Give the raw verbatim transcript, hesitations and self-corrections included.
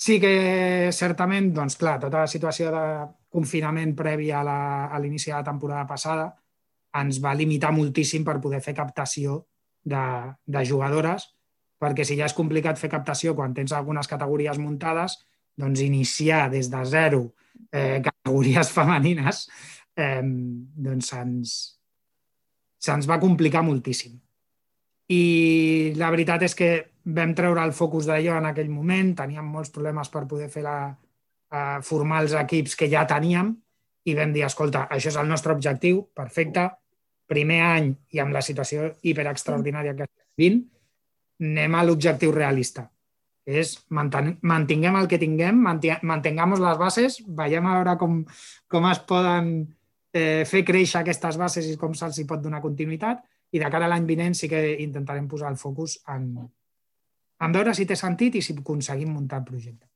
Sí que certament, doncs clar, tota la situació de confinament previ a la- a l'inici de la temporada passada ens va limitar moltíssim per poder fer captació de, de jugadores, perquè si ja és complicat fer captació quan tens algunes categories muntades, doncs iniciar des de zero eh, categories femenines eh, doncs se'ns se'ns va complicar moltíssim. I la veritat és que vam treure el focus d'allò en aquell moment, teníem molts problemes per poder fer la, eh, formar els equips que ja teníem i vam dir, escolta, això és el nostre objectiu, perfecte, primer any i amb la situació hiperextraordinària que estem vivint, anem a l'objectiu realista. És manten mantinguem el que tinguem, mantingamos les bases, veiem a veure com, com es poden eh, fer créixer aquestes bases i com se'ls pot donar continuïtat, i de cara a l'any vinent sí que intentarem posar el focus en, en veure si té sentit i si aconseguim muntar el projecte.